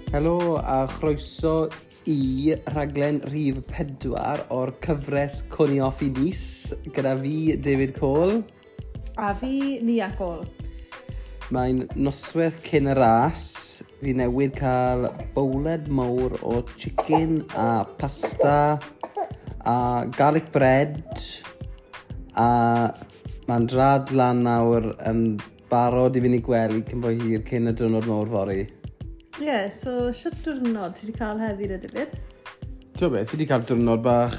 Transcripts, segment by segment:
Helo a chroeso i rhaglen rhif 4 o'r cyfres Cwni Off i Nice gyda fi, David Cole. A fi, Nia Cole. Mae'n noswaith cyn y ras. Fi newydd cael bowled mawr o chicken a pasta a garlic bread a mae'n drad lan nawr yn barod i fynd i gwely cyn bo hir cyn y diwrnod mawr fory. Ie, yeah, so shwt diwrnod ti wedi cael heddi de, David? Ti'n beth, fi wedi cael diwrnod bach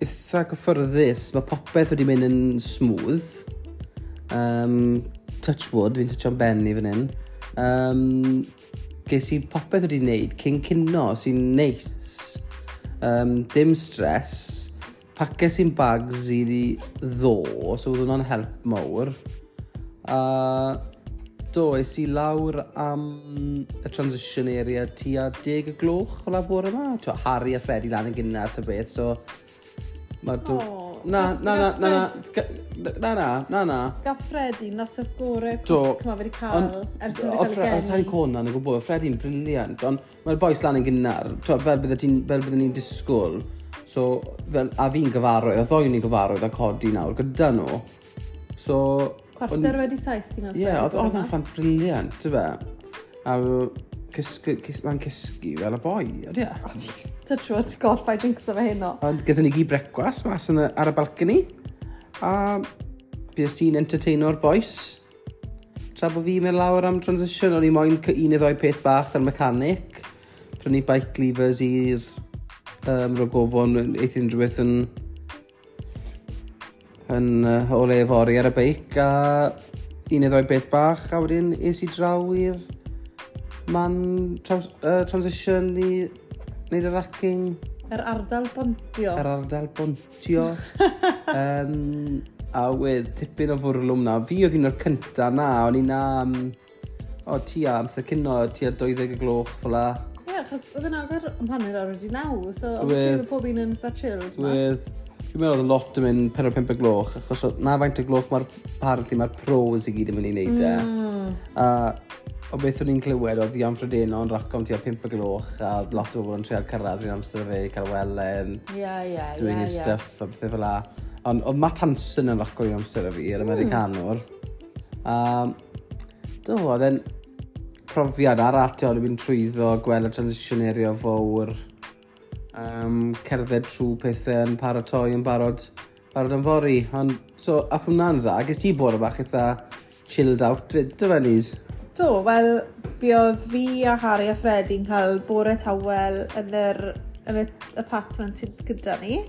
eitha gyffyrddus. Mae popeth wedi mynd yn smooth. Touch wood, fi'n toucho'n ben i fan hyn. Ges i popeth wedi wneud cyn cino, sy'n neis. Dim stress. Paces i'n bags i ddo, so oedd hwnna'n help mawr. A do, es i lawr am y transition area tua 10 y gloch o la bore yma. Twa, Harry a Freddie lan yn gynnar ta beth, so... Mae'r O, Na, na, na, na, na, na, na, na, na. Gath Freddie noswaith gorau Do, cwsg ma fe wedi cael ers iddo o fe cael ei Sa'n geni. Conan yn gwybod, Freddie'n brilliant, ond mae'r boys lan yn gynnar, twel, fel bydde ni'n disgwyl, so, fel, a fi'n gyfarwydd, a ddoi ni'n gyfarwydd a codi nawr gyda nhw. So... 7:15 ti'n Ie, oedd o'n fan brilliant, ty fe. A cysgu, mae'n cysgu fel y boi, ydy e? Touch wood, God, paid jinxo fe heno. Ond gyda ni gyd brecwas mas yn y, ar y balcony. A bues ti'n entertaino'r boys. Tra bod fi'n mynd lawr am transition, o'n i moyn un neu ddoi peth bach da'r mechanic. Prynu bike levers i'r rogofon, eith unrhyw beth yn o le fory ar y beic a un neu ddoi beth bach a wedyn es i draw i'r man transition i wneud y racking. Yr ardal bontio. Yr ardal bontio. A wedd tipyn o fwrlwm na. Fi oedd un o'r cynta na, o'n i na o, tua amser cino, tua 20 y gloch fel la. Ie, achos oedd yn agor am 9:30, so obviously oedd pob un yn eitha chilled. Ma. Wedd, fi'n meddwl oedd lot yn mynd 4-5 y gloch, achos na faint y gloch mae'r, apparently mae'r pros i gyd yn mynd i wneud e. A o beth o'n i'n clywed oedd Ian Frodeno yn raco am tua 5 y gloch, a oedd lot o bobl yn trial cyrraedd rhywun amser fe, cael welen, Ie, ie, doing his stuff a bethau fel la. Ond oedd Matt Hansen yn raco i amser y fi, yr Americanwr. A do, oedd e'n profiad arall, ti'n mynd trwyddo, gweld y transition area fawr, cerdded trwy pethau yn paratoi yn barod am fory. Ond, so, ath hwnna'n dda. Ges ti bore bach eitha chilled out, fyd, dy fe, Nis? Do, wel, buodd fi a Harry a Freddie'n cael bore tawel yn y apartment sydd gyda ni.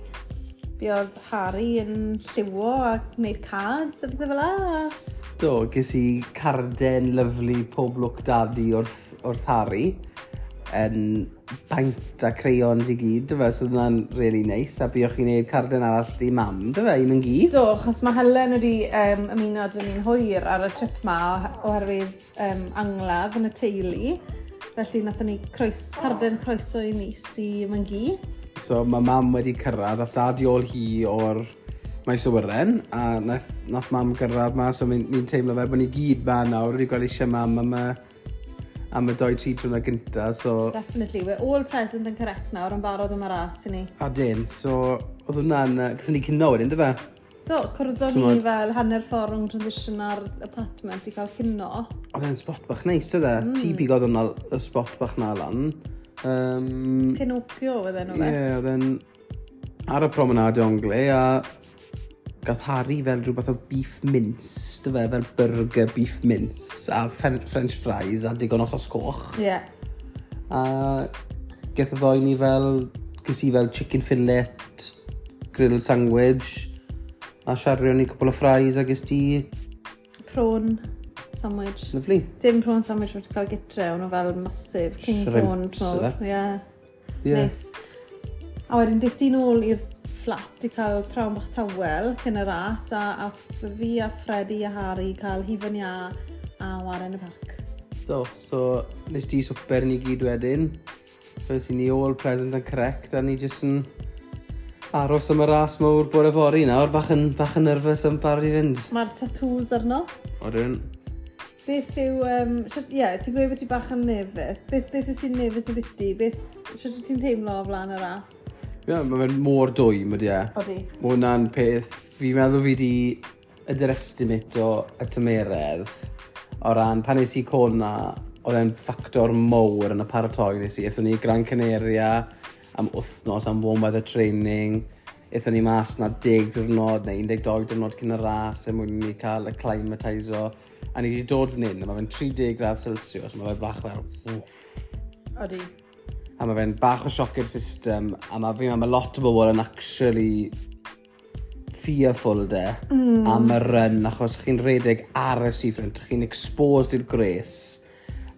Buodd Harry yn lliwo a gwneud cards a pethau fel la. Do, ges i carden lyflu pob lwc daddy wrth Harry yn paint a crayons i gyd, dy fe, so oedd hwnna'n really nice, a buoch chi'n neud carden arall i mam, dy fe, un yn gyd. Do, achos mae Helen wedi ymuno dyn ni'n hwyr ar y trip ma oherwydd angladd yn y teulu. Felly nathon ni carden croeso i mis i Myngi. So mae mam wedi cyrraedd, ath dad i ôl hi o'r maes awyren, a nath mam gyrraedd ma, so ni'n teimlo fel bod ni gyd ma nawr, wedi gweld eisiau mam am y 2-3 diwrnod gynta, so... Definitely, we're all present and correct nawr yn barod am y ras i ni. A dim, so oedd hwnna'n... Gathon ni cino wedyn, dy fe? Do, cwrddon ni T'mod- fel hanner ffordd rhwng transition a'r apartment i cael cino. Oedd e'n spot bach neis, oedd e? Ti bigodd hwnna, y spot bach na lan. Pinocchio oedd enw Ie, fe. yeah, oedd e'n ar y promenade Anglais, a gath Harry fel rhywbeth o beef mince, dy fe, fel burger beef mince, a French fries a digon o sos coch. Ie. A gath y ddoi ni fel, ges i fel chicken fillet, grilled sandwich, a siario ni cwpl o fries a ges ti, Prawn sandwich. Lovely. Dim prawn sandwich wedi cael gytre, o'n nhw fel massive king Shrimps, prawns mawr. ife? Ie. Ie. Neis. A wedyn des di nôl i'r fflat i cael prawn bach tawel cyn y ras a fi a Freddie a Harry cael hufen iâ a waren y parc. Do, so nes ti swper ni gyd wedyn. So nes i ni all present and correct a ni jyst yn aros am y ras mawr bore fory nawr, bach yn nervous am barod i fynd. Mae'r tattoos arno. Odyn. Beth yw, ie, yeah, ti'n gweud bod ti bach yn nervous. Beth wyt ti'n nervous o biti? Beth, sut wyt ti'n teimlo o flaen y ras? Ie, yeah, mae fe'n mor dwym, ydy e. Odi. Mae hwnna'n peth, fi'n meddwl fi di underestimate o y tymeredd o ran pan nes i Kona, oedd e'n ffactor mowr yn y paratoi nes i. Aethon ni i Gran Canaria am wythnos, am warm weather training. Aethon ni mas na 10 diwrnod neu 12 diwrnod cyn y ras er mwyn i ni cael acclimatiso. A ni wedi dod fan hyn, a mae fe'n 30 gradd Celsius, mae fe bach fel, wff. Odi. A mae fe'n bach o sioc i'r system, a mae, fi'n meddwl, mae lot o bobl yn actually fearful de am y run, achos chi'n redeg ar y seafront, chi'n exposed i'r gwres,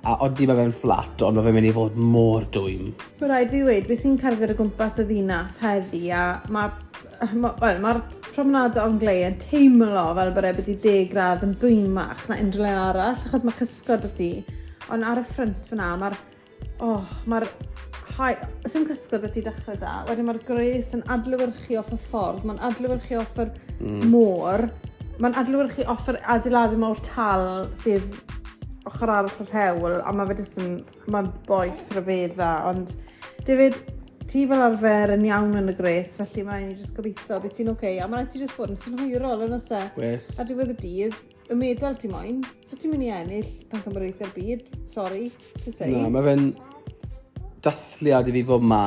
a odi mae fe'n fflat, ond mae fe'n mynd i fod mor dwym. Mae rhaid fi weud, beth sy'n cerdded o gwmpas y ddinas heddi, a well, mae'r promenade Anglais yn teimlo fel bod e byti 10 gradd yn dwymach na unrhyw le arall, achos mae cysgod y ti. Ond ar y ffrynt fyna, oh, mae'r, hai, sim cysgod y ti dechrau da, wedyn mae'r gwres yn adlewyrchu off y ffordd, mae'n adlewyrchu off yr môr, mae'n adlewyrchu off yr adeiladu mawr tal sydd ochr arall yr hewl, a mae fe jyst yn, mae'n boeth rhyfedda, ond David, ti fel arfer yn iawn yn y gres, felly mae'n i jyst gobeithio bydd ti'n oce, okay. A mae'n rhaid ti jyst fod yn synhwyrol yn oes e. Wes. Ar diwedd y dydd, y medal ti moyn, so ti'n mynd i ennill pencampwriaethau'r byd, sorry to say. Na, mae fe'n dathliad i fi fod ma.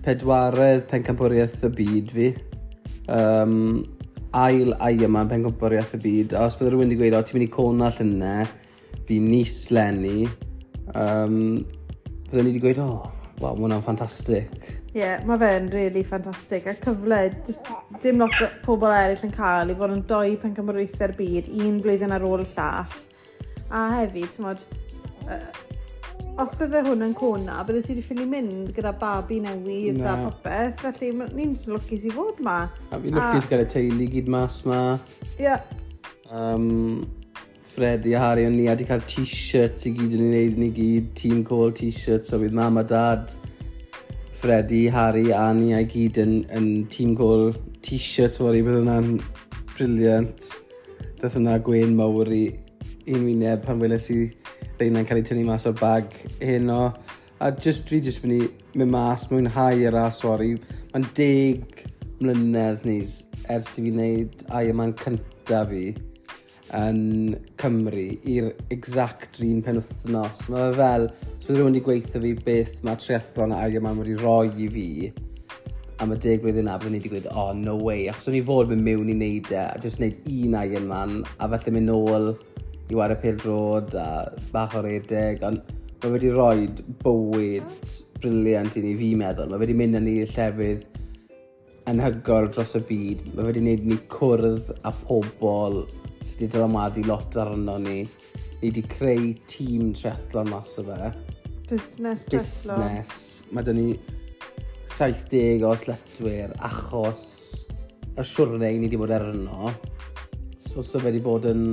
Pedwaredd pencampwriaeth y byd fi. Ail Ironman pencampwriaeth y byd. A os bydde rhywun wedi gweud, "O, ti'n mynd i Kona llynedd, fi Nice leni," bydden ni wedi gweud, "Oh, waw, mae hwnna'n ffantastig." Ie, yeah, mae fe'n really ffantastig. A cyfle, just dim lot o pobl eraill yn cael i fod yn doi pencampwriaethau'r byd, un blwyddyn ar ôl y llall. A hefyd, ti'n modd, os bydde hwn yn Kona, bydde ti wedi ffili mynd gyda babi newydd Na. a popeth, felly ni'n jyst lwcus i fod ma. A fi'n lwcus gael y teulu gyd mas ma. Ie, yeah. Freddie a Harry o'n ni a di cael t-shirts i gyd yn ei wneud ni gyd, team call t-shirts, so bydd mam a dad, Freddie, Harry a ni a gyd yn team call t-shirts fory, bydd hwnna'n brilliant. Dath hwnna gwên mawr i un wyneb pan weles i reina'n cael eu tynnu mas o'r bag heno. A just, fi just mynd i mynd mas, mwynhau y ras fory. Mae'n 10 mlynedd nis ers i fi wneud Ironman cynta fi yn Cymru i'r exact un penwythnos. Mae fe fel, os bydd rhywun wedi gweithio fi beth mae triathlon a Ironman wedi rhoi i fi am y 10 blwyddyn na, byddwn ni wedi gweud, "Oh, no way." Achos o'n i fod mynd mewn i wneud e, a just wneud un Ironman, a falle mynd nôl i wario pêl-droed a bach o redeg, ond mae wedi rhoi bywyd brilliant i ni, fi'n meddwl. Mae wedi mynd â ni i llefydd anhygoel dros y byd. Mae wedi gwneud ni cwrdd â pobl sydd wedi dylanwadu lot arno ni. Ni wedi creu tîm triathlon mas o fe. Busnes triathlon. Busnes. Mae dyn ni 70 o athletwyr achos y siwrne ni wedi bod arno. So fe wedi bod yn...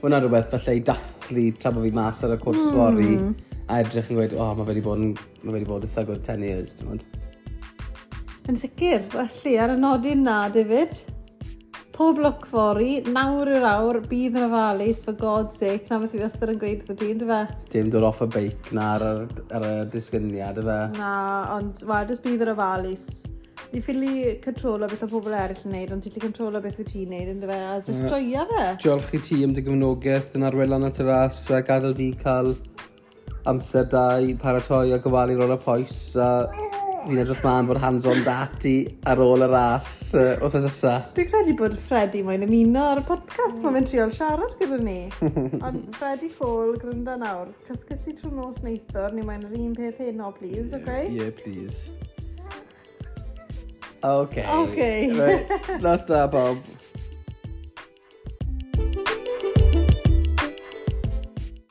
Mae hwnna'n rhywbeth falle i dathlu tra bod fi mas ar y cwrs fory a edrych yn gweud, "Oh, mae fe wedi bod eitha good 10 years," ti'n gwbod. Yn sicr, felly ar y nodyn na, David, pob lwc fory, nawr yw'r awr, bydd yn ofalus, for God's sake, na beth fi wastad yn gweud wrth ti, ynddo fe? Dim dod off y beic na ar y disgyniad, y fe. Na, ond, wel, jyst bydd yn ofalus. Ni ffili controlo beth o pobl eraill yn neud, ond ti'n gallu controlo beth wyt ti'n neud, ynddo fe? A jyst joia fe. Diolch i ti am dy gefnogaeth yn arwain lan at y ras a gadael fi cael amser da i paratoi a gofalu rôl y poes a fi'n edrych mlaen fod hands-on dati ar ôl y ras wrth nesa. Dwi'n credu bod Freddie moyn ymuno ar y podcast, mae'n fe'n trial siarad gyda ni. Ond Freddie Cole, grynda nawr, cysgus ti trwy nos neithwr, ni moyn yr un peth heno, please, okay? Yeah, please. Okay. Okay. Right. Nos da, bob.